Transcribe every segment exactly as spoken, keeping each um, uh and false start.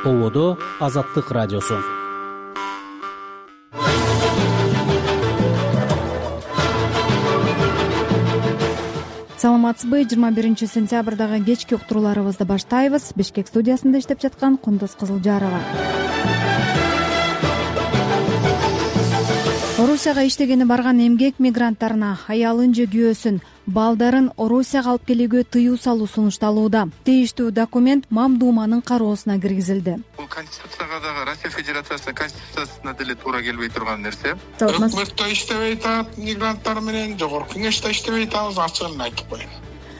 Ободо Азаттык радиосу. Саламатсызбы? жыйырма биринчи сентябрдагы кечки уктурууларыбызды баштайбыз. Бишкек студиясында иштеп жаткан Кундуз Кызылжарова. Орусияга иштегени барган эмгек мигранттарына аялын же күйөөсүн, балдарын Орусияга алып келүүгө тыюу салуу сунушталууда. Тийиштүү документ Мамдуманын кароосуна киргизилди. Бул Конституцияга дагы, Россия Федерациясынын Конституциясына деле туура келбей турган нерсе. Өкмөт да иштебей атат мигранттар менен, жогорку кеңеш да иштебей атабыз, ачыгын айтып коеюн.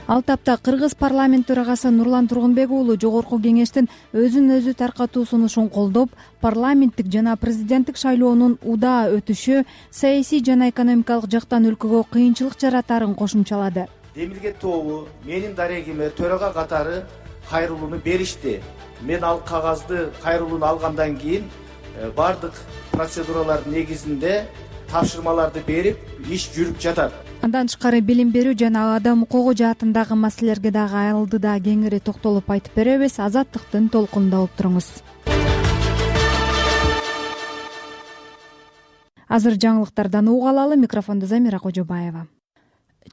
Ал тапта Кыргыз парламент төрагасы Нурлан Тургунбек уулу жогорку кеңештин өзүн өзү таркатуу сунушун колдоп, парламенттик жана президенттик шайлоонун удаа өтүшү саясий жана экономикалык жактан өлкөгө кыйынчылык жаратарын кошумчалады. Демилге тобу менин дарегиме төрага катары кайрылууну беришти. Мен ал кагазды кайрылууну алгандан кийин бардык процедуралар негизинде тапшырмаларды берип, иш жүрүп жатат. Андан тышкары билим берүү жана адам укугу жаатындагы маселелерге дагы алдыда кеңири токтолуп айтып беребиз. Азаттыктын толкунунда болуп туруңуз. Азыр жаңылыктардан угуп алалы. Микрофондо Замира Кожобаева.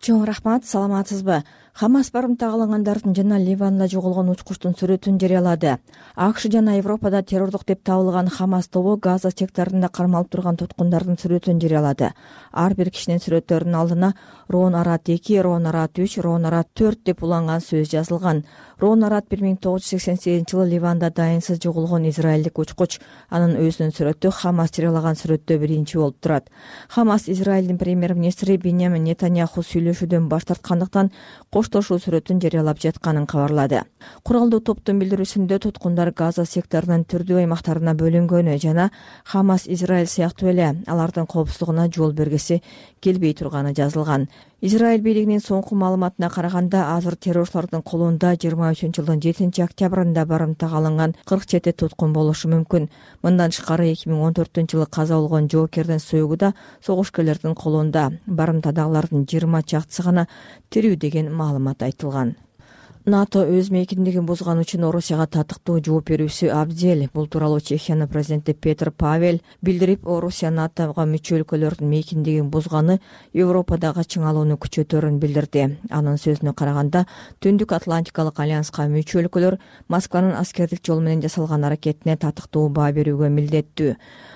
Чоң рахмат, саламатсызбы? Хамас барымтага алынгандардын жана Ливанда жоголгон учкучтун сүрөтүн жарыялады. АКШ жана Европада террордук деп табылган Хамас тобу Газа секторунда кармалып турган туткундардын сүрөтүн жарыялады. Ар бир кишинин сүрөттөрүнүн алдына Рон Арат эки, Рон Арат үч, Рон Арат төрт деп уланган сөз жазылган. Рон Арат бир миң тогуз жүз сексен сегизинчи жылы Ливанда дайынсыз жоголгон израилдик учкуч. Анын өзүнүн сүрөтү Хамас жарыялаган сүрөттө биринчи болуп турат. Хамас Израилдин премьер-министри Биньямин Нетаньяху сүйлөшүүдөн баш тарткандыктан коштошуу сүрөтүн жарыялап жатканын кабарлады. Куралдуу топтун билдирүүсүндө туткундар Газа секторунун түрдүү аймактарына бөлүнгөнү жана Хамас Израиль сыяктуу эле алардын коопсуздугуна жол бергиси келбей турганы жазылган. Израиль бийлигинин соңку маалыматына караганда, азыр террорчулардын колунда жыйырма үчүнчү жылдын жетинчи октябрында барымтага алынган кырк жети туткун болушу мүмкүн. Мындан тышкары эки миң он төртүнчү жылы каза болгон жоокердин союгу да согушкерлердин колунда. Барымтадагылардын жыйырма чактысы гана тирүү деген маалымат айтылган. НАТО өз мейкиндигин бузган үчүн Орусияга татыктуу жооп берүүсү абзел. Бул тууралуу Чехиянын президенти Петр Павел билдирип, Орусия НАТОга мүчө өлкөлөрдүн мейкиндигин бузганы Европадагы чыңалууну күчөтөрүн билдирди. Анын сөзүнө караганда, Түндүк Атлантикалык альянска мүчө өлкөлөр Москванын аскердик жол менен жасалган аракетине татыктуу баа берүүгө милдеттүү.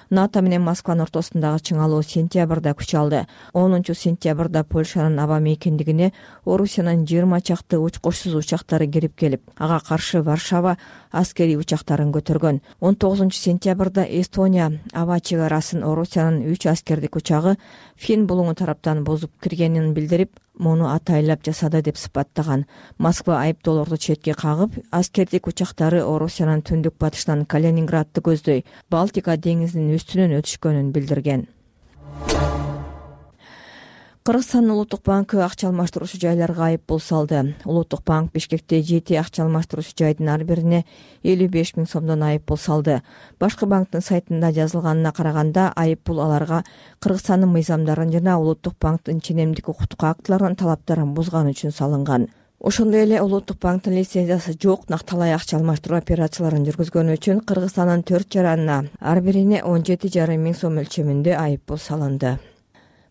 НАТО менен Москванын ортосундагы чыңалуу сентябрда күч алды. онунчу сентябрда Польшанын аба мейкиндигине Орусиянын жыйырма чакты учкучсуз учактары кирип келип, ага каршы Варшава аскерий учактарын көтөргөн. он тогузунчу сентябрда Эстония аба чек арасын Орусиянын үч аскердик учагы Фин булуңу тараптан бузуп киргенин билдирип, муну атайлап жасады деп сыпаттаган. Москва айыптоолорду четке кагып, аскердик учактары Орусиянын түндүк батышынан Калининградты көздөй Балтика деңизинин үстүнөн өтүшкөнүн билдирген. Кыргызстандын Улуттук банкы акча алмаштыруучу жайларга айып пул салды. Улуттук банк Бишкекте жети акча алмаштыруучу жайдын ар бирине элүү беш миң сомдон айып пул салды. Башкы банктын сайтында жазылганына караганда, айып пул аларга Кыргызстандын мыйзамдарын жана Улуттук банктын ченемдик укуктук актыларынын талаптарын бузган үчүн салынган. Ошондой эле Улуттук банктын лицензиясы жок накталай акча алмаштыруу операцияларын жүргүзгөнү үчүн Кыргызстандын төрт жаранына ар бирине он жети жарым миң сом өлчөмүндө айып пул салынды.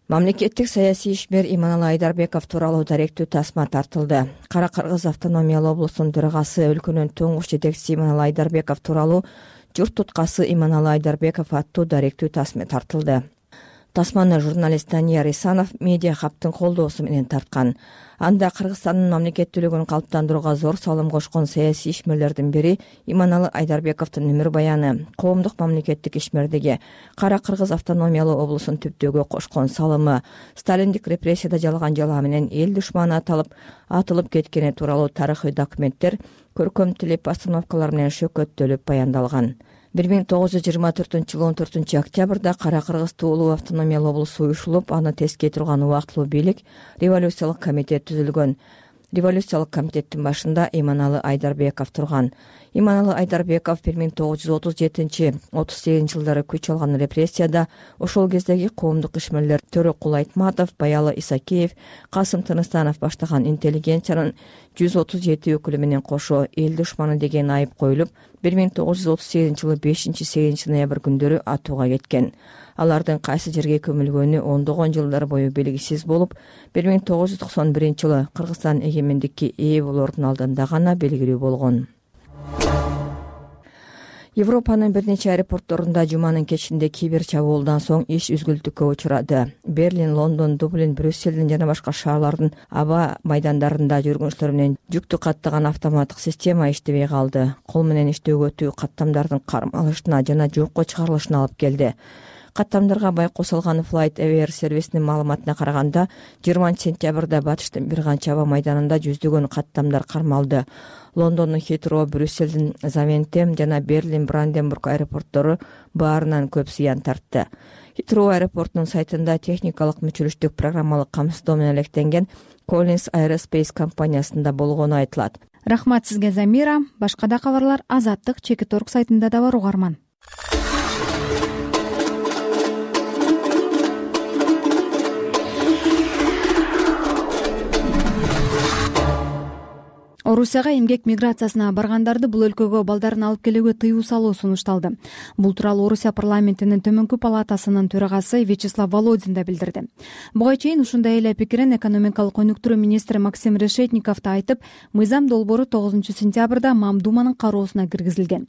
Мамлекеттик саясий ишмер Иманалы Айдарбеков тууралуу даректүү тасма тартылды. Кара Кыргыз автономиялуу облустун төрагасы, өлкөнүн туңгуч жетекчиси Иманалы Айдарбеков тууралуу журт туткасы Иманалы Айдарбеков аттуу даректүү тасма тартылды. Тасманы журналист Данияр Исанов медиа хабтын колдоосу менен тарткан. Анда Кыргызстандын мамлекеттүүлүгүн калыптандырууга зор салым кошкон саясий ишмерлердин бири Иманалы Айдарбековдун өмүр баяны, коомдук мамлекеттик ишмердиги, Кара Кыргыз автономиялуу облусун түптөөгө кошкон салымы, сталиндик репрессияда жалган жала менен эл душманы аталып, атылып кеткени тууралуу тарыхый документтер көркөм тил постановкалар менен шөкөттөлүп баяндалган. бир миң тогуз жүз жыйырма төртүнчү жылы он төртүнчү октябрда Кара Кыргыз туулуу автономиялуу облусу уюшулуп, аны тескей турган убактылуу бийлик революциялык комитет түзүлгөн. Революциялык комитеттин башында Иманалы Айдарбеков турган. иманалы Айдарбеков бир миң тогуз жүз отуз жетинчи отуз сегизинчи жылдары күч алган репрессияда ошол кездеги коомдук ишмерлер Төрөкул Айтматов, Баялы Исакеев, Касым Тыныстанов баштаган интеллигенциянын жүз отуз жети өкүлү менен кошо эл душманы деген айып коюлуп, бир миң тогуз жүз отуз сегизинчи жылы бешинчи сегизинчи ноябрь күндөрү атууга кеткен. Алардын кайсы жерге көмүлгөнү ондогон жылдар бою белгисиз болуп, бир миң тогуз жүз токсон биринчи жылы Кыргызстан эгемендикке ээ болоордун алдында гана белгилүү болгон. Европанын бир нече аэропортторунда жуманын кечинде кибер чабуулдан соң иш үзгүлтүккө учурады. Берлин, Лондон, Дублин, Брюсселдин жана башка шаарлардын аба майдандарында жүргүнчүлөр менен жүктү каттаган автоматтык система иштебей калды. Кол менен иштөөгө өтүү каттамдардын кармалышына жана жокко чыгарылышына алып келди. Каттамдарга байкоо салган FlightAware сервисинин маалыматына караганда, жыйырманчы сентябрда батыштын бир канча аба майданында жүздөгөн каттамдар кармалды. Лондондун Хитроу, Брюсселдин Завентем жана Берлин, Бранденбург аэропорттору баарынан көп зыян тартты. Хитроу аэропортунун сайтында техникалык мүчүлүштүк программалык камсыздоо менен алектенген Collins Aerospace компаниясында болгону айтылат. Рахмат сизге, Замира. Башка да кабарлар Азаттык Чекит Орг сайтында да бар, угарман. Орусияга эмгек миграциясына баргандарды бул өлкөгө балдарын алып келүүгө тыюу салуу сунушталды. Бул тууралуу Орусия парламентинин төмөнкү палатасынын төрагасы Вячеслав Володин да билдирди. Буга чейин ушундай эле пикирин экономикалык өнүктүрүү министри Максим Решетников да айтып, мыйзам долбоору тогузунчу сентябрда Мамдуманын кароосуна киргизилген.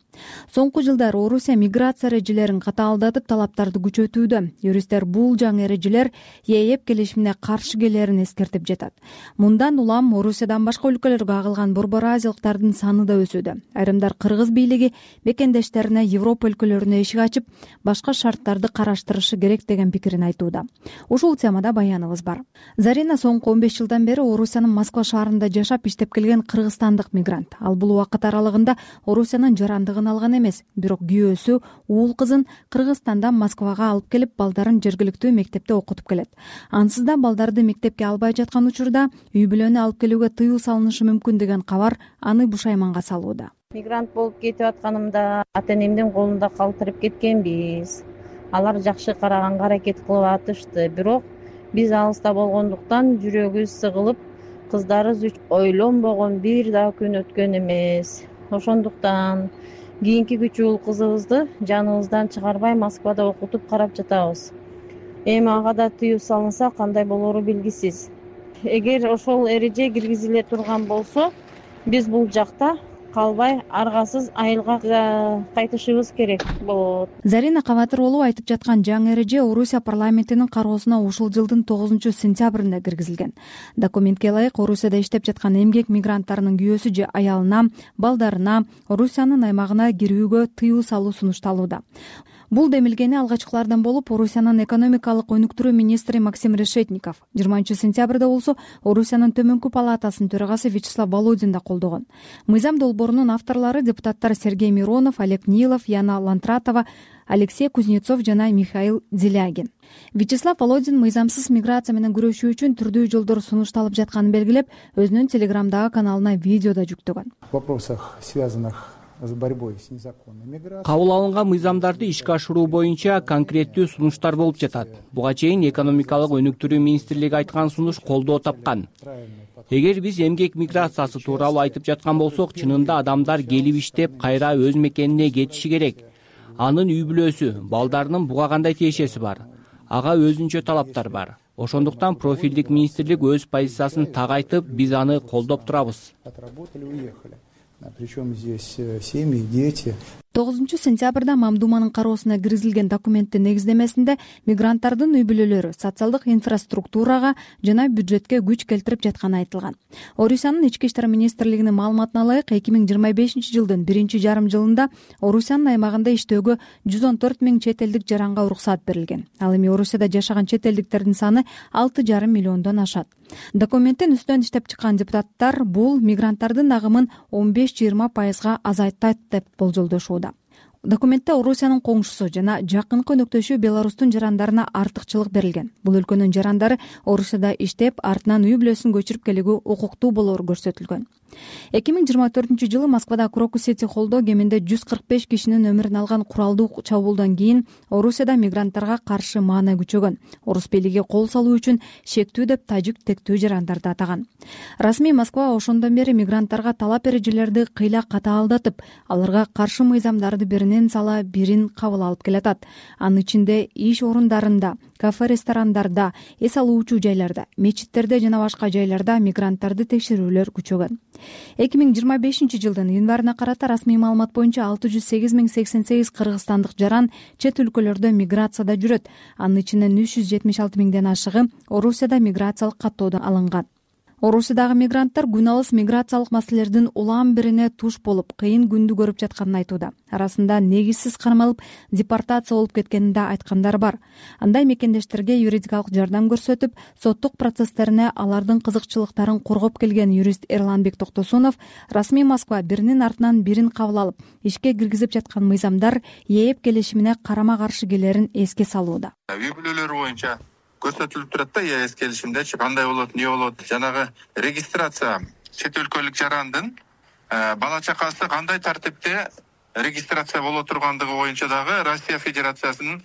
Соңку жылдары Орусия миграция эрежелерин катаалдатып, талаптарды күчөтүүдө. Юристтер бул жаңы эрежелер ЕЭП келишимине каршы келерин эскертип жатат. Мындан улам Орусиядан башка өлкөлөргө агылган борбор азиялыктардын саны да өсүүдө. Айрымдар кыргыз бийлиги бекендештерине Европа өлкөлөрүнө эшик ачып, башка шарттарды караштырышы керек деген пикирин айтууда. Ушул темада баяныбыз бар. Зарина соңку он беш жылдан бери Орусиянын Москва шаарында жашап иштеп келген кыргызстандык мигрант. Ал бул убакыт аралыгында Орусиянын жарандыгын алган эмес, бирок күйөөсү уул кызын Кыргызстандан Москвага алып келип, балдарын жергиликтүү мектепте окутуп келет. Ансыз да балдарды мектепке албай жаткан учурда үй бүлөнү алып келүүгө тыюу салынышы мүмкүн деген кабар аны бушайманга салууда. Мигрант болуп кетип атканымда ата энемдин колунда калтырып кеткенбиз. Алар жакшы караганга аракет кылып атышты, бирок биз алыста болгондуктан жүрөгүбүз сыгылып, кыздарыбыз үчүн ойлонбогон бир да күн өткөн эмес. Ошондуктан кийинки күч уул кызыбызды жаныбыздан чыгарбай Москвада окутуп карап жатабыз. Эми ага да тыюу салынса кандай болору белгисиз. Эгер ошол эреже киргизиле турган болсо, биз бул жакта калбай аргасыз айылга кайтышыбыз керек болот. Зарина Кабатыроğlu айтып жаткан жаңы эреже Орусия парламентинин кароосуна ушул жылдын тогузунчу сентябрында киргизилген. Документке ылайык Орусияда иштеп жаткан эмгек мигранттарынын күйөөсү же аялына, балдарына Орусиянын аймагына кирүүгө тыюу салуу сунушталууда. Бул демилгени алгачкылардан болуп Орусиянын экономикалык өнүктүрүү министри Максим Решетников. жыйырманчы сентябрда болсо Орусиянын төмөнкү палатасынын төрагасы Вячеслав Володин да колдогон. Мыйзам долбоорунун авторлору депутаттар Сергей Миронов, Олег Нилов, Яна Лантратова, Алексей Кузнецов жана Михаил Делягин. Вячеслав Володин мыйзамсыз миграция менен күрөшүү үчүн түрдүү жолдор сунушталып жатканын белгилеп, өзүнүн телеграмдагы каналына видео да жүктөгөн. В вопросах, связанных с борьбой с незаконной миграцией, кабыл алынган мыйзамдарды ишке ашыруу боюнча конкреттүү сунуштар болуп жатат. Буга чейин экономикалык өнүктүрүү министрлиги айткан сунуш колдоо тапкан. Эгер биз эмгек миграциясы тууралуу айтып жаткан болсок, чынында адамдар келип иштеп, кайра өз мекенине кетиши керек. Анын үй бүлөсү, балдарынын буга кандай тиешеси бар? Ага өзүнчө талаптар бар. Ошондуктан профилдик министрлик өз позициясын так айтып, биз аны колдоп турабыз. Причем здесь семьи, дети. тогузунчу сентябрда Мамдуманын кароосуна киргизилген документтин негиздемесинде мигранттардын үй бүлөлөрү социалдык инфраструктурага жана бюджетке күч келтирип жатканы айтылган. Орусиянын ички иштер министрлигинин маалыматына ылайык, эки миң жыйырма бешинчи жылдын биринчи жарым жылында Орусиянын аймагында иштөөгө жүз он төрт миң чет элдик жаранга уруксат берилген. Ал эми Орусияда жашаган чет элдиктердин саны алты жарым миллиондон ашат. Документтин үстүнөн иштеп чыккан депутаттар бул мигранттардын агымын он беш жыйырма пайызга азайтат деп болжолдошууда. Документте Орусиянын коңшусу жана жакынкы өнөктөшү Беларустун жарандарына артыкчылык берилген. Бул өлкөнүн жарандары Орусияда иштеп, артынан үй бүлөсүн көчүрүп келүүгө укуктуу болоору көрсөтүлгөн. эки миң жыйырма төртүнчү жылы Москвада Крокус сети холдо кеминде жүз кырк беш кишинин өмүрүн алган куралдуу чабуулдан кийин Орусияда мигранттарга каршы маана күчөгөн. Орус бийлиги кол салуу үчүн шектүү деп тажик тектүү жарандарды атаган. Расмий Москва ошондон бери мигранттарга талап эрежелерди кыйла катаалдатып, аларга каршы мыйзамдарды биринен сала бирин кабыл алып келатат. Анын ичинде иш орундарында, кафе, ресторандарда, эс алуучу жайларда, мечиттерде жана башка жайларда мигранттарды текшерүүлөр күчөгөн. эки миң жыйырма бешинчи жылдын январына карата расмий маалымат боюнча алты жүз сегиз миң сексен сегиз кыргызстандык жаран чет өлкөлөрдө миграцияда жүрөт. Анын ичинен үч жүз жетимиш алты миңден ашыгы Орусияда миграциялык каттоодон алынган. Орусиядагы мигранттар күн алыс миграциялык маселелердин улам бирине туш болуп, кыйын күндү көрүп жатканын айтууда. Арасында негизсиз кармалып, депортация болуп кеткенин да айткандар бар. Андай мекендештерге юридикалык жардам көрсөтүп, соттук процесстерине алардын кызыкчылыктарын коргоп келген юрист Эрланбек Токтосунов расмий Москва биринин артынан бирин кабыл алып, ишке киргизип жаткан мыйзамдар ээп келишимине карама-каршы келерин эске салууда. Үй бүлөлөр боюнча көрсөтүлүп турат да, ЭС келишимдечи кандай болот, эмне болот, жанагы регистрация чет өлкөлүк жарандын бала чакасы кандай тартипте регистрация боло тургандыгы боюнча дагы Россия Федерациясынын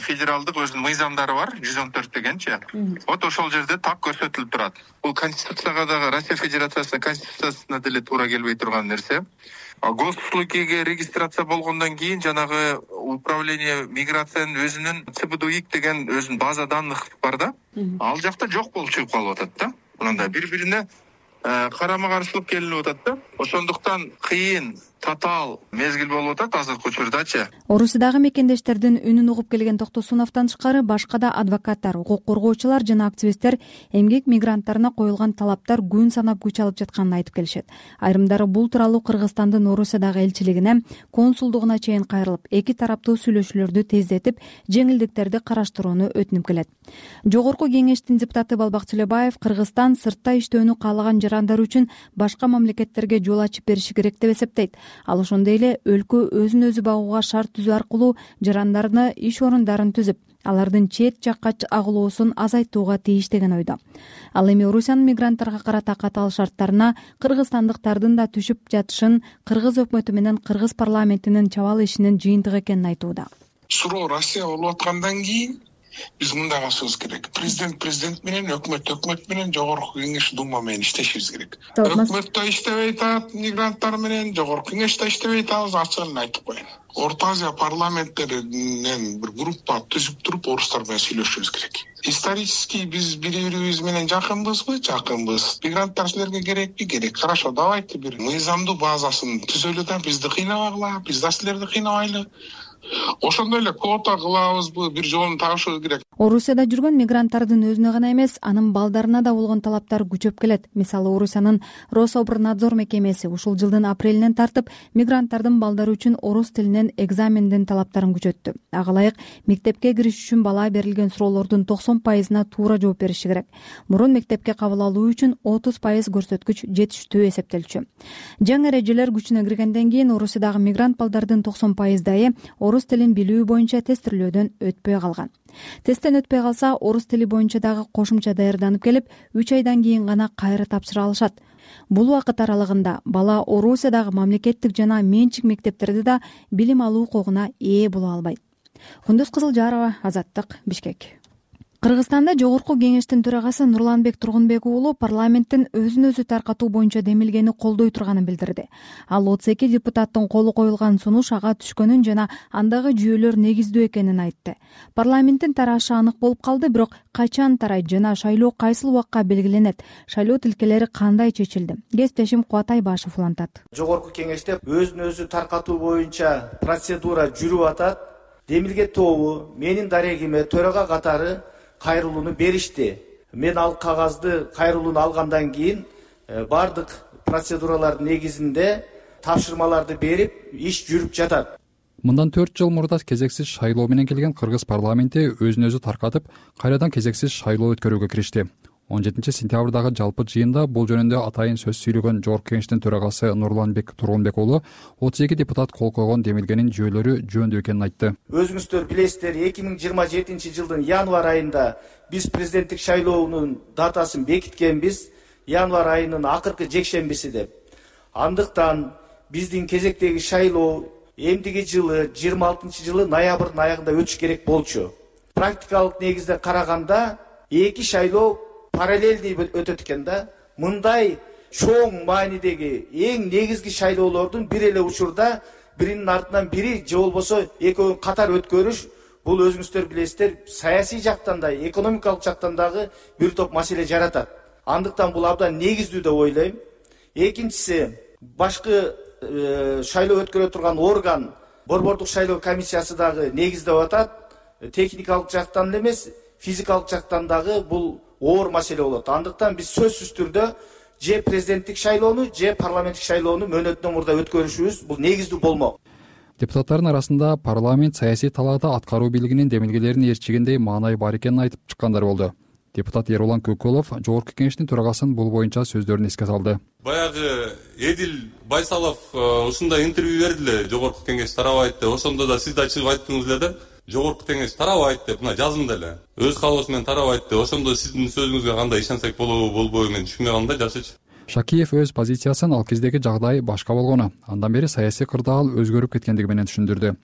федералдык өзүнүн мыйзамдары бар, жүз он төрт дегенчи. Вот ошол жерде так көрсөтүлүп турат. Бул Конституцияга дагы, Россия Федерациясынын Конституциясына деле туура келбей турган нерсе. Госуслугиге регистрация болгондон кийин жанагы управление миграциянын өзүнүн ЦБДУИК деген өзүнүн база данных бар да. Ал жакта жок болуп чыгып калып атат да. Мындай бири-бирине карама-каршылык келинип атат да. Ошондуктан кыйын, татаал мезгил болуп атат азыркы учурдачы. Орусиядагы мекендештердин үнүн угуп келген Токтосуновдон тышкары башка да адвокаттар, укук коргоочулар жана активисттер эмгек мигранттарына коюлган талаптар күн санап күч алып жатканын айтып келишет. Айрымдары бул тууралуу Кыргызстандын Орусиядагы элчилигине, консулдугуна чейин кайрылып, эки тараптуу сүйлөшүүлөрдү тездетип, жеңилдиктерди караштырууну өтүнүп келет. Жогорку кеңештин депутаты Балбак Төлөбаев Кыргызстан сыртта иштөөнү каалаган жарандар үчүн башка мамлекеттерге жол ачып бериши керек деп эсептейт. Ал ошондой эле өлкө өзүн өзү багууга шарт түзүү аркылуу жарандарына иш орундарын түзүп, алардын чет жакка агылуусун азайтууга тийиш деген ойдо. Ал эми Орусиянын мигранттарга карата катаал шарттарына кыргызстандыктардын да түшүп жатышын кыргыз өкмөтү менен кыргыз парламентинин чабал ишинин жыйынтыгы экенин айтууда. Суроо Россия болуп аткандан кийин биз мындай кылышыбыз керек. Президент президент менен, өкмөт өкмөт менен, жогорку кеңеш дума менен иштешибиз керек. Өкмөт да иштебей атат мигранттар менен, жогорку кеңеш да иштебей атабыз, ачыгын айтып коеюн. Орто Азия парламенттеринен бир группа түзүп туруп орустар менен сүйлөшүбүз керек. Исторически биз бири-бирибиз менен жакынбызбы? Жакынбыз. Мигранттар силерге керекпи? Керек. Хорошо, давайте бир мыйзамдуу базасын түзөлү да бизди кыйнабагыла, биз да силерди кыйнабайлы. Ошондой эле квота кылабызбы, бир жолун табышыбыз керек. Орусияда жүргөн мигранттардын өзүнө гана эмес, анын балдарына да болгон талаптар күчөп келет. Мисалы, Орусиянын Рособорнадзор мекемеси ушул жылдын апрелинен тартып мигранттардын балдары үчүн орус тилинен экзамендин талаптарын күчөттү. Ага ылайык мектепке кириш үчүн бала берилген суроолордун токсон пайызына туура жооп бериши керек. Мурун мектепке кабыл алуу үчүн отуз пайыз көрсөткүч жетиштүү эсептелчү. Жаңы эрежелер күчүнө киргенден кийин Орусиядагы мигрант балдардын токсон пайыздайы орус тилин билүү боюнча тестирлөөдөн өтпөй калган. Тесттен өтпөй калса, орус тили боюнча дагы кошумча даярданып келип, үч айдан кийин гана кайра тапшыра алышат. Бул убакыт аралыгында бала Орусиядагы мамлекеттик жана менчик мектептерде да билим алуу укугуна ээ боло албайт. Кундуз Кызылжарова, Азаттык, Бишкек. Кыргызстанда жогорку кеңештин төрагасы Нурланбек Тургунбек уулу парламенттин өзүн өзү таркатуу боюнча демилгени колдой турганын билдирди. Ал отуз эки депутаттын колу коюлган сунуш ага түшкөнүн жана андагы жүйөлөр негиздүү экенин айтты. Парламенттин тарашы анык болуп калды, бирок качан тарайт жана шайлоо кайсыл убакка белгиленет, шайлоо тилкелери кандай чечилди? Кесиптешим Кубат Айбашев улантат. Жогорку кеңеште өзүн өзү таркатуу боюнча процедура жүрүп атат. Демилге тобу менин дарегиме төрага катары кайрылууну беришти. Мен ал кагазды кайрылууну алгандан кийин бардык процедуралардын негизинде тапшырмаларды берип, иш жүрүп жатат. Мындан төрт жыл мурда кезексиз шайлоо менен келген кыргыз парламенти өзүн өзү таркатып, кайрадан кезексиз шайлоо өткөрүүгө киришти. он жетинчи сентябрдагы жалпы жыйында бул жөнүндө атайын сөз сүйлөгөн жогорку кеңештин төрагасы Нурланбек Тургунбек уулу отуз эки депутат кол койгон демилгенин жүйөлөрү жөндөй экенин айтты. Өзүңүздөр билесиздер, эки миң жыйырма жетинчи жылдын январь айында биз президенттик шайлоонун датасын бекиткенбиз, январь айынын акыркы жекшембиси деп. Андыктан биздин кезектеги шайлоо эмдиги жылы жыйырма алтынчы жылы ноябрдын аягында өтүш керек болчу. Практикалык негизде караганда эки шайлоо параллельный өтөт экен да. Мындай чоң маанидеги эң негизги шайлоолордун бир эле учурда биринин артынан бири же болбосо экөөнүн катар өткөрүш, бул өзүңүздөр билесиздер, саясий жактан да, экономикалык жактан дагы бир топ маселе жаратат. Андыктан бул абдан негиздүү деп ойлойм. Экинчиси, башкы шайлоо өткөрө турган орган, борбордук шайлоо комиссиясы дагы негиздеп атат. Техникалык жактан эле эмес, физикалык жактан дагы бул оор маселе болот. Андыктан биз сөзсүз түрдө же президенттик шайлоону, же парламенттик шайлоону мөөнөтүнөн мурда өткөрүшүбүз бул негиздүү болмок. Депутаттардын арасында парламент саясий талаада аткаруу бийлигинин демилгелерин ээрчигендей маанай бар экенин айтып чыккандар болду. Депутат Ерулан Көкөлов жогорку кеңештин төрагасын бул боюнча сөздөрүн эске салды. Баягы Эдил Байсалов ушундай интервью берди эле, жогорку кеңеш тарабайт деп. Ошондо да сиз да чыгып айттыңыз эле да. Жогорку кеңеш тарабайт деп, мына жазымда эле. Өз каалоосу менен тарабайт деп. Ошондо сиздин сөзүңүзгө кандай ишенсек болобу, болбойбу мен түшүнбөй калдым да, жакшычы. Шакиев өз позициясын ал кездеги жагдай башка болгону, андан бери саясий кырдаал өзгөрүп кеткендиги менен түшүндүрдү.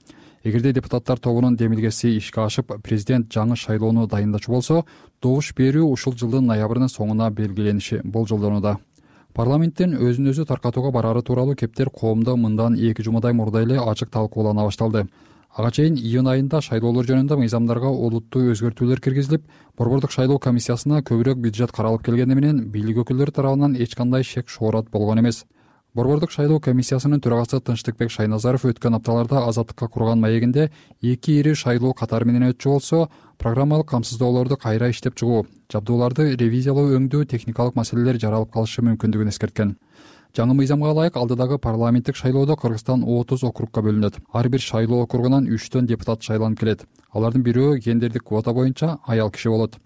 Эгерде депутаттар тобунун демилгеси ишке ашып, президент жаңы шайлоону дайындачу болсо, добуш берүү ушул жылдын ноябрынын соңуна белгилениши болжолдонууда. Парламенттин өзүн өзү таркатууга барары тууралуу кептер коомдо мындан эки жумадай мурда эле ачык талкуулана башталды. Ага чейин июнь айында шайлоолор жөнүндө мыйзамдарга олуттуу өзгөртүүлөр киргизилип, борбордук шайлоо комиссиясына көбүрөөк бюджет каралып келгени менен бийлик өкүлдөрү тарабынан эч кандай шек шоорат болгон эмес. Борбордук шайлоо комиссиясынын төрагасы Тынчтыкбек Шайназаров өткөн апталарда Азаттыкка курган маегинде эки ири шайлоо катары менен өтчү болсо, программалык камсыздоолорду кайра иштеп чыгуу, жабдууларды ревизиялоо өңдүү техникалык маселелер жаралып калышы мүмкүндүгүн эскерткен. Жаңы мыйзамга ылайык алдыдагы парламенттик шайлоодо Кыргызстан отуз округка бөлүнөт. Ар бир шайлоо округунан үчтөн депутат шайланып келет. Алардын бирөө гендердик квота боюнча аял киши болот.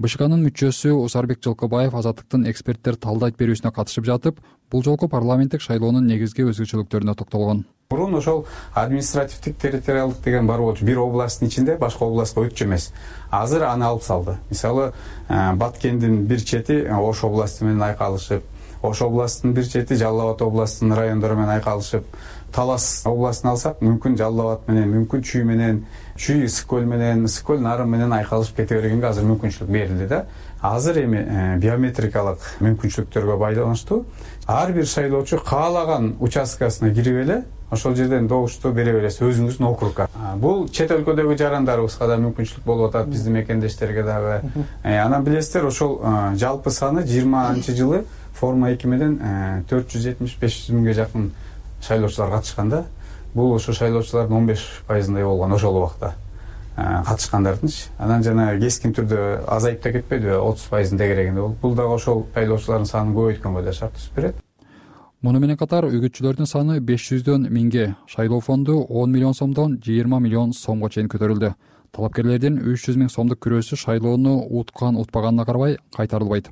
БШКнын мүчөсү Усарбек Жылкыбаев Азаттыктын эксперттер талдайт берүүсүнө катышып жатып, бул жолку парламенттик шайлоонун негизги өзгөчөлүктөрүнө токтолгон. Мурун ошол административдик территориалдык деген бар болчу. Бир областтын ичинде башка областка өтчү эмес. Азыр аны алып салды. Мисалы, Баткендин бир чети Ош областы менен айкалышып, Ош областынын бир чети Жалал Абад областынын райондору менен айкалышып, Талас областын алсак, мүмкүн Жалал Абад менен, мүмкүн Чүй менен, Чүй Ысык-Көл менен, Ысык-Көл Нарын менен айкалышып кете бергенге азыр мүмкүнчүлүк берилди да. Азыр эми биометрикалык мүмкүнчүлүктөргө байланыштуу ар бир шайлоочу каалаган участкасына кирип эле ошол жерден добушту бере бересиз өзүңүздүн округга. Бул чет өлкөдөгү жарандарыбызга да мүмкүнчүлүк болуп атат, биздин мекендештерге дагы. Анан билесиздер, ошол жалпы саны жыйырманчы жылы форма эки менен төрт жүз жетимиш беш жүз миңге жакын шайлоочулар катышкан да. Бул ошо шайлоочулардын он беш пайызындай болгон ошол убакта катышкандардынчы. Анан жана кескин түрдө азайып да кетпедиби, отуз пайыздын тегерегинде болуп. Бул дагы ошол шайлоочулардын санын көбөйткөнгө да шарт түзүп берет. Муну менен катар үгүтчүлөрдүн саны беш жүздөн миңге, шайлоо фонду он миллион сомдон жыйырма миллион сомго чейин көтөрүлдү. Талапкерлердин үч жүз миң сомдук күрөөсү шайлоону уткан утпаганына карабай кайтарылбайт.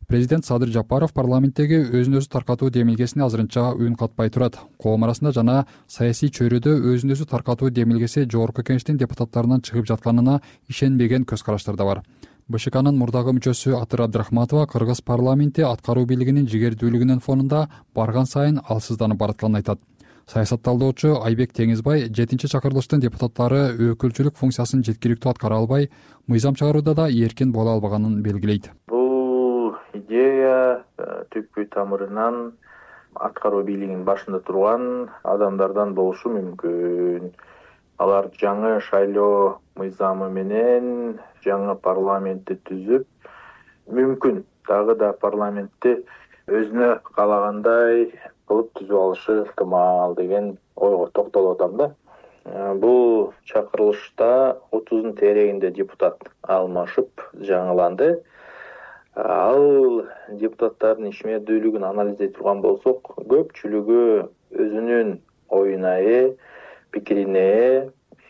Президент Садыр Жапаров парламенттеги өзүн өзү таркатуу демилгесине азырынча үн катпай турат. Коом арасында жана саясий чөйрөдө өзүн өзү таркатуу демилгеси жогорку кеңештин депутаттарынан чыгып жатканына ишенбеген көз караштар да бар. БШКнын мурдагы мүчөсү Атыр Абдрахматова Кыргыз парламенти аткаруу бийлигинин жигердүүлүгүнүн фонунда барган сайын алсызданып баратканын айтат. Саясатталдоочу Айбек Теңизбай жетинчи чакырылыштын депутаттары өкүлчүлүк функциясын жеткиликтүү аткара албай, мыйзам чыгарууда да эркин боло албаганын белгилейт. Идея түпкү тамырынан аткаруу бийлигинин башында турган адамдардан болушу мүмкүн. Алар жаңы шайлоо мыйзамы менен жаңы парламентти түзүп, мүмкүн дагы да парламентти өзүнө каалагандай кылып түзүп алышы ыктымал деген ойго токтолуп атам да. Бул чакырылышта отуздун тегерегинде депутат алмашып жаңыланды. Ал депутаттардын ишмердүүлүгүн анализдей турган болсок, көпчүлүгү өзүнүн оюна ээ, пикирине ээ,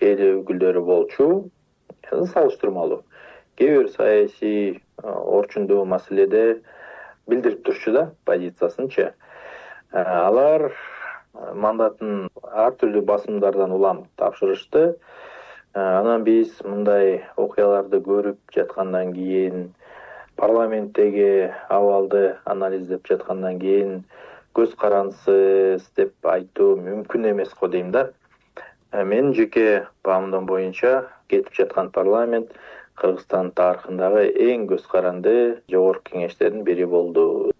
эл өкүлдөрү болчу, салыштырмалуу. Кээ бир саясий орчундуу маселеде билдирип турчу да позициясынчы. Алар мандатын ар түрдүү басымдардан улам тапшырышты. Анан биз мындай окуяларды көрүп жаткандан кийин, парламенттеги абалды анализдеп жаткандан кийин көз карансыз деп айтуу мүмкүн эмес го дейм да. Менин жеке баамдам боюнча кетип жаткан парламент Кыргызстан тарыхындагы эң көз каранды жогорку кеңештердин бири болду.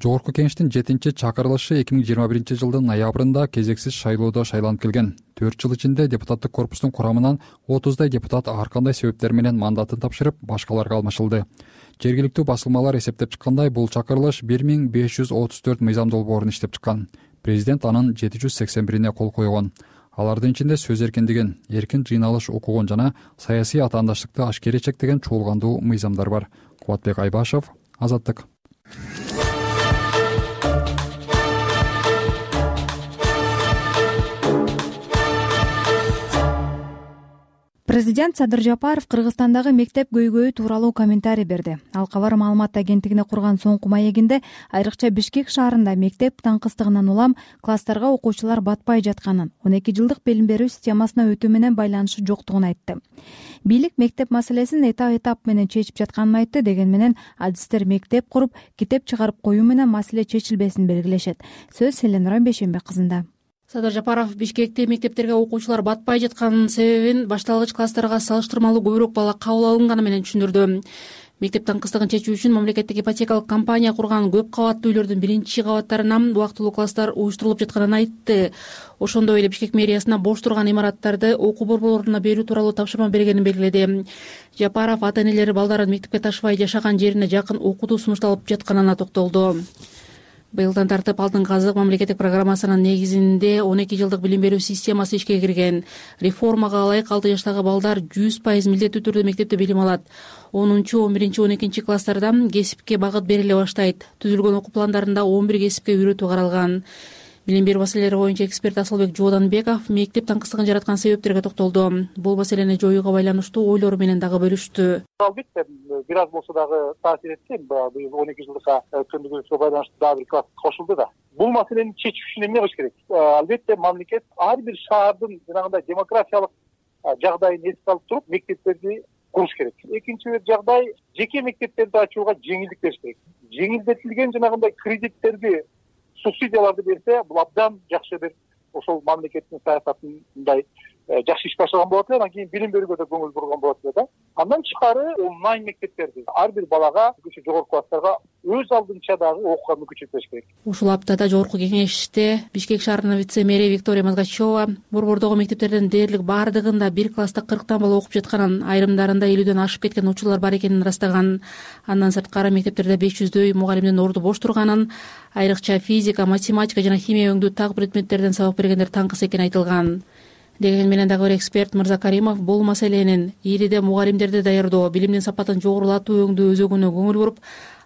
Жогорку кеңештин жетинчи чакырылышы эки миң жыйырма биринчи жылдын ноябрында кезексиз шайлоодо шайланып келген. төрт жыл ичинде депутаттык корпустун курамынан отуздай депутат ар кандай себептер менен мандатын тапшырып, башкаларга алмашылды. Жергиликтүү басылмалар эсептеп чыккандай, бул чакырылыш бир миң беш жүз отуз төрт мыйзам долбоорун иштеп чыккан. Президент анын жети жүз сексен бирине кол койгон. Алардын ичинде сөз эркиндигин, эркин жыйналыш укугун жана саясий атаандаштыкты ашкере чектеген чуулгандуу мыйзамдар бар. Кубатбек Айбашев, Азаттык. Президент Садыр Жапаров Кыргызстандагы мектеп көйгөйү тууралуу комментарий берди. Ал Кабар маалымат агенттигине курган соңку маегинде айрыкча Бишкек шаарында мектеп таңкыстыгынан улам класстарга окуучулар батпай жатканын, он эки жылдык билим берүү системасына өтүү менен байланышы жоктугун айтты. Бийлик мектеп маселесин этап-этап менен чечип жатканын айтты, деген менен адистер мектеп куруп, китеп чыгарып коюу менен маселе чечилбесин белгилешет. Сөз Селенура Бейшенбек кызында. Садыр Жапаров Бишкекте мектептерге окуучулар батпай жатканын себебин башталгыч класстарга салыштырмалуу көбүрөөк бала кабыл алынганы менен түшүндүрдү. Мектеп таңкыстыгын чечүү үчүн мамлекеттик ипотекалык компания курган көп кабаттуу үйлөрдүн биринчи кабаттарынан убактылуу класстар уюштурулуп жатканын айтты. Ошондой эле Бишкек мэриясына бош турган имараттарды окуу борборлоруна берүү тууралуу тапшырма бергенин белгиледи. Жапаров ата-энелери балдарын мектепке ташыбай жашаган жерине жакын окутуу сунушталып жатканына токтолду. Быйылдан тартып алдыңкы азык мамлекеттик программасынын негизинде он эки жылдык билим берүү системасы ишке кирген. Реформага ылайык алты жаштагы балдар жүз пайыз милдеттүү түрдө мектепте билим алат. онунчу, он биринчи, он экинчи класстарда кесипке багыт бериле баштайт. Түзүлгөн окуу пландарында он бир кесипке үйрөтүү каралган. Билим берүү маселелери боюнча эксперт Асылбек Жооданбеков мектеп таңкыстыгын жараткан себептерге токтолду. Бул маселени жоюуга байланыштуу ойлору менен дагы бөлүштү. Албетте бир аз болсо дагы таасир эткен. Быйыл он эки жылдыкка өткөндүгүбүзгө байланыштуу дагы бир класс кошулду да. Бул маселени чечүү үчүн эмне кылыш керек? Албетте мамлекет ар бир шаардын жанагындай демографиялык жагдайын эске алып туруп мектептерди куруш керек. Экинчи бир жагдай, жеке мектептерди ачууга жеңилдик бериш керек. Жеңилдетилген жанагындай кредиттерди, субсидияларды берсе, бул абдан жакшы бир ошол мамлекеттин саясатын мындай жакшы иш баштаган болот эле, анан кийин билим берүүгө да көңүл бурган болот эле да. Андан тышкары онлайн мектептерди ар бир балага, жогорку класстарга өз алдынча дагы окууга мүмкүнчүлүк бериш керек. Ушул аптада жогорку кеңеште Бишкек шаарынын вице-мэри Виктория Мазгачева борбордогу мектептердин дээрлик баардыгында бир класста кырктан бала окуп жатканын, айрымдарында элүүдөн ашып кеткен учурлар бар экенин ырастаган. Андан сырткары мектептерде беш жүздөй мугалимдин орду бош турганын, айрыкча физика, математика жана химия өңдүү так предметтерден сабак бергендер таңкыс экени айтылган. Деген менен дагы бир эксперт Мырза Каримов бул маселенин ириде мугалимдерди даярдоо, билимдин сапатын жогорулатуу өңдүү өзөгүнө көңүл буруп,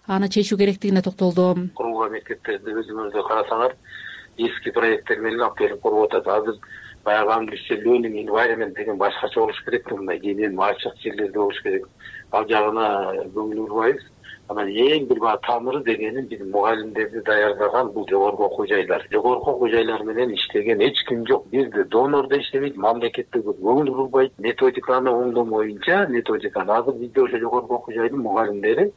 аны чечүү керектигине токтолду. Курулган мектептерди өзүңүздөр карасаңар, эски проекттер менен алып келип куруп атат. Азыр баягы англисче learning environment деген башкача болуш керек, мындай кенен ачык жерлерде болуш керек. Ал жагына көңүл бурбайбыз. Анан эң бир баа тамыры дегени биз мугалимдерди даярдаган бул жогорку окуу жайлар. Жогорку окуу жайлар менен иштеген эч ким жок. Бизде донор да иштебейт, мамлекетте көңүл бурбайт. Методиканы оңдоо боюнча, методиканы азыр бизде ошо жогорку окуу жайдын мугалимдери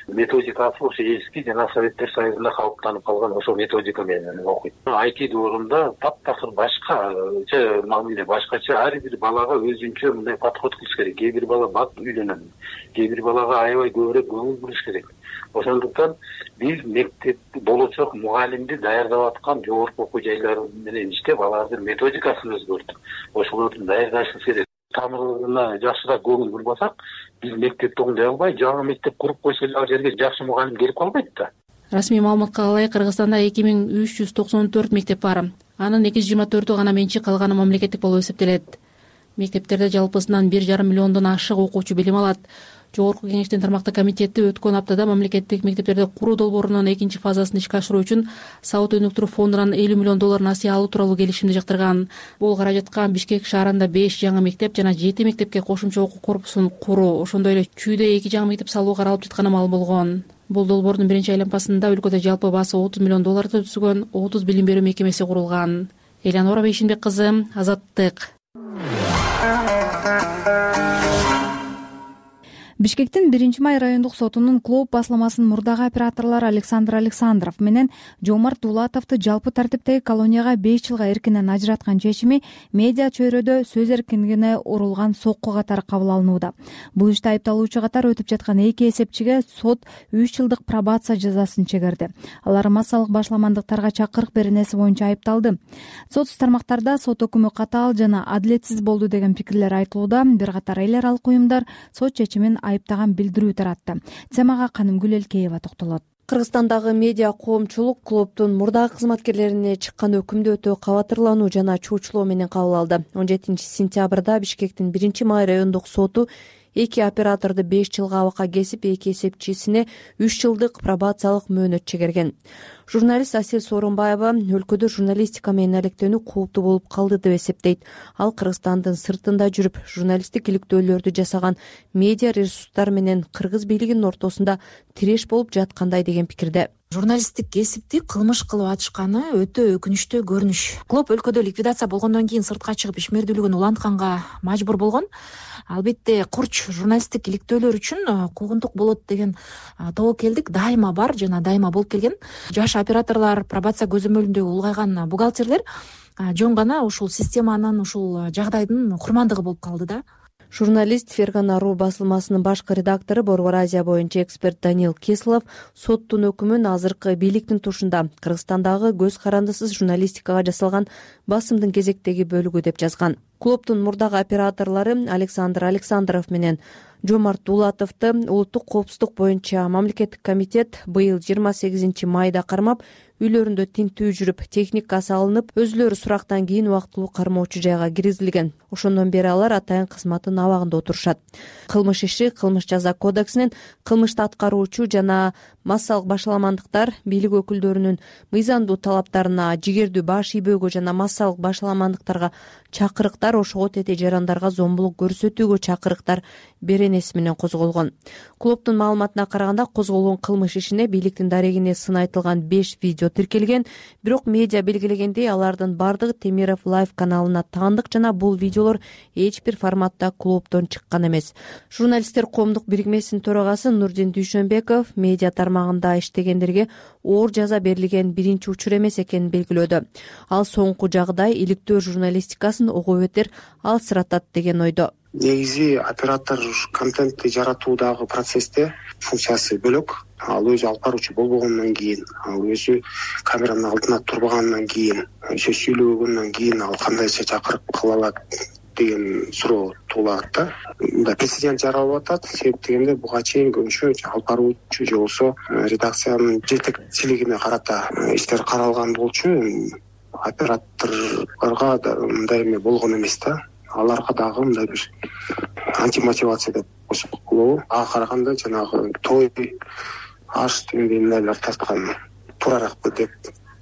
методикасы ошо эски жана Советтер Союзунда калыптанып калган ошо методика менен окуйт. ай ти доорунда таптакыр башкача мамиле, башкача ар бир балага өзүнчө мындай подход кылыш керек. Кээ бир бала бат үйлөнөт, кээ бир балага аябай көбүрөөк көңүл буруш керек. Ошондуктан биз мектеп болочок мугалимди даярдап аткан жогорку окуу жайлары менен иштеп, алардын методикасын өзгөртүп, ошолорду даярдашыбыз керек. Тамырына жакшыраак көңүл бурбасак, биз мектепти оңдой албай, жаңы мектеп куруп койсо эле ал жерге жакшы мугалим келип калбайт да. Расмий маалыматка ылайык Кыргызстанда эки миң үч жүз токсон төрт мектеп бар. Анын эки жүз жыйырма төртү гана менчик, калганы мамлекеттик болуп эсептелет. Мектептерде жалпысынан бир жарым миллиондон ашык окуучу билим алат. Жогорку кеңештин тармактык комитети өткөн аптада мамлекеттик мектептерди куруу долбоорунун экинчи фазасын ишке ашыруу үчүн Сауд өнүктүрүү фондунан элүү миллион доллар насыя алуу тууралуу келишимди жактырган. Бул каражатка Бишкек шаарында беш жаңы мектеп жана жети мектепке кошумча окуу корпусун куруу, ошондой эле Чүйдө эки жаңы мектеп салуу каралып жатканы маалым болгон. Бул долбоордун биринчи айланмасында өлкөдө жалпы баасы отуз миллион долларды түзгөн отуз билим берүү мекемеси курулган. Элянора Бейшенбек кызы, Азаттык. Бишкектин биринчи май райондук сотунун клуб басылмасынын мурдагы операторлору Александр Александров менен Жомарт Дулатовду жалпы тартиптеги колонияга беш жылга эркинен ажыраткан чечими медиа чөйрөдө сөз эркиндигине урулган сокку катары кабыл алынууда. Бул иште айыпталуучу катары өтүп жаткан эки эсепчиге сот үч жылдык пробация жазасын чегерди. Алар массалык башламандыктарга чакырык беренеси боюнча айыпталды. Сот тармактарда сот өкүмү катаал жана адилетсиз болду деген пикирлер айтылууда. Бир катар эл аралык уюмдар сот чечимин айыптаган билдирүү таратты. Темага Канымгүл Элкеева токтолот. Кыргызстандагы медиа коомчулук клубдун мурдагы кызматкерлерине чыккан өкүмдү өтө кабатырлануу жана чуучулоо менен кабыл алды. он жетинчи сентябрда Бишкектин биринчи май райондук соту эки операторду беш жылга абакка кесип, эки эсепчисине үч жылдык пробациялык мөөнөт чегерген. Журналист Асель Сооронбаева өлкөдө журналистика менен алектенүү кооптуу болуп калды деп эсептейт. Ал Кыргызстандын сыртында жүрүп, журналисттик иликтөөлөрдү жасаган медиа ресурстар менен кыргыз бийлигинин ортосунда тиреш болуп жаткандай деген пикирде. Журналисттик кесипти кылмыш кылып атышканы өтө өкүнүчтүү көрүнүш. Клуб өлкөдө ликвидация болгондон кийин сыртка чыгып ишмердүүлүгүн улантканга мажбур болгон. Албетте курч журналисттик иликтөөлөр үчүн куугунтук болот деген тобокелдик дайыма бар жана дайыма болуп келген. Жаш операторлор, пробация көзөмөлүндө улгайган бухгалтерлер жөн гана ушул системанын, ушул жагдайдын курмандыгы болуп калды да. Журналист Фергана Ру басылмасынын башкы редактору, Борбор Азия боюнча эксперт Даниил Кислов соттун өкүмүн азыркы бийликтин тушунда Кыргызстандагы көз карандысыз журналистикага жасалган басымдын кезектеги бөлүгү деп жазган. Клубдун мурдагы операторлору Александр Александров менен Жомарт Дулатовду улуттук коопсуздук боюнча мамлекеттик комитет быйыл жыйырма сегизинчи майда кармап, үйлөрүндө тинтүү жүрүп, техникасы алынып, өзүлөрү сурактан кийин убактылуу кармоочу жайга киргизилген. Ошондон бери алар атайын кызматтын абагында отурушат. Кылмыш иши Кылмыш жаза кодексинин кылмышты аткаруучу жана массалык башаламандыктар бийлик өкүлдөрүнүн мыйзамдуу талаптарына, жигердүү баш ийбөөгө жана массалык башаламандыктарга чакырыктар, ошого тете жарандарга зомбулук көрсөтүүгө чакырыктар беренеси менен козголгон. Клубдун маалыматына караганда, козголгон кылмыш ишине бийликтин дарегине сын айтылган беш видео тиркелген, бирок медиа белгилегендей, алардын бардыгы Темиров Лайв каналына таандык жана бул видеолор эч бир форматта клубдон чыккан эмес. Журналисттер коомдук бирикмесинин төрагасы Нурдин Дүйшөнбеков медиа тармагында иштегендерге оор жаза берилген биринчи учур эмес экенин белгилөөдө. Ал соңку жагдай иликтөө журналистикасын ого бетер алсыратат деген ойдо. Негизи оператор контентти жаратуудагы процессте функциясы бөлөк. Ал өзү алып баруучу болбогондон кийин, ал өзү камеранын алдына турбагандан кийин, сөз сүйлөгөндөн кийин ал кандайча чакырып кыла алат деген суроо туулат да. Мында прецедент жаралып атат. Себеп дегенде буга чейин көбүнчө алып баруучу же болбосо редакциянын жетекчилигине карата иштер каралган болчу. Операторлорго мындай эме болгон эмес да. Аларга дагы мындай бир антимотивация деп койсок болобу. Ага караганда жанагы той, аш дегендей нелер тарткан туурараак деп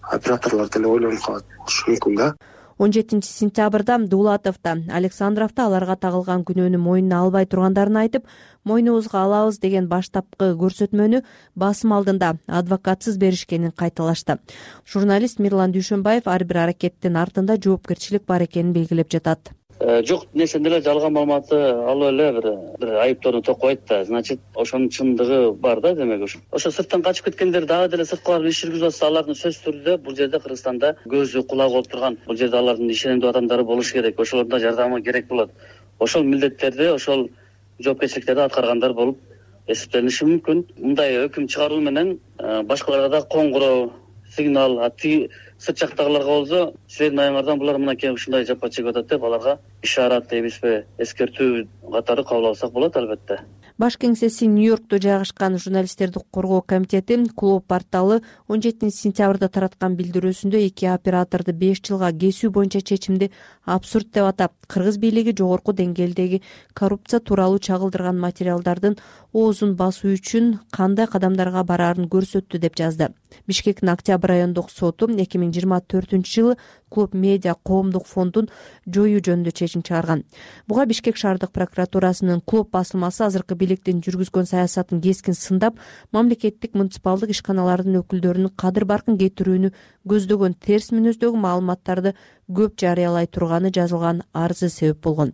операторлор деле ойлонуп калат болушу мүмкүн да. он жетинчи сентябрда Дулатовду, Александровду аларга тагылган күнөөнү мойнуна албай тургандарын айтып, мойнубузга алабыз деген баштапкы көрсөтмөнү басым алдында адвокатсыз беришкенин кайталашты. Журналист Мирлан Дүйшөнбаев ар бир аракеттин артында жоопкерчилик бар экенин белгилеп жатат. Жок нерсен деле жалган маалыматты алып эле бир бир айыптоону токойт да. Значит, ошонун чындыгы бар да, демек ошо. Ошо сырттан качып кеткендер дагы деле сырткылар иш жүргүзүп атса, алардын сөз түрдө бул жерде Кыргызстанда көзү кулагы болуп турган, бул жерде алардын ишенимдүү адамдары болуш керек. Ошолордун да жардамы керек болот. Ошол милдеттерди, ошол жоопкерчиликтерди аткаргандар болуп эсептелиши мүмкүн. Мындай өкүм чыгаруу менен башкаларга да коңгуроо, сигнал, ати сырт жактагыларга болсо, силердин аягыңардан булар мынакей ушундай жапа чегип атат деп аларга ишарат дейбизби, эскертүү катары кабыл алсак болот албетте. Баш кеңсеси Нью-Йоркто жайгашкан журналисттерди коргоо комитети клуб порталы он жетинчи сентябрда тараткан билдирүүсүндө эки операторду беш жылга кесүү боюнча чечимди абсурд деп атап, кыргыз бийлиги жогорку деңгээлдеги коррупция тууралуу чагылдырган материалдардын оозун басуу үчүн кандай кадамдарга бараарын көрсөттү деп жазды. Бишкектин Октябрь райондук соту эки миң жыйырма төртүнчү жылы клуб медиа коомдук фондун жоюу жөнүндө чечим чыгарган. Буга Бишкек шаардык прокуратурасынын клуб басылмасы азыркы бийликтин жүргүзгөн саясатын кескин сындап, мамлекеттик муниципалдык ишканалардын өкүлдөрүнүн кадыр баркын кетирүүнү көздөгөн терс мүнөздөгү маалыматтарды көп жарыялай турганы жазылган арызы себеп болгон.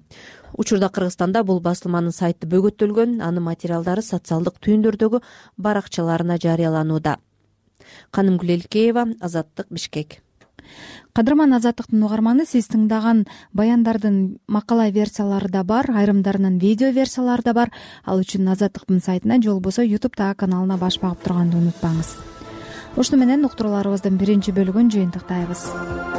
Учурда Кыргызстанда бул басылманын сайты бөгөттөлгөн, анын материалдары социалдык түйүндөрдөгү баракчаларына жарыяланууда. Канымгүл Элкеева, Азаттык, Бишкек. Кадырман Азаттыктын угарманы, сиз тыңдаган баяндардын макала версиялары да бар, айрымдарынын видео версиялары да бар. Ал үчүн Азаттыктын сайтына же болбосо ютубтагы каналына баш багып турганды унутпаңыз. Ушуну менен уктурууларыбыздын биринчи бөлүгүн жыйынтыктайбыз.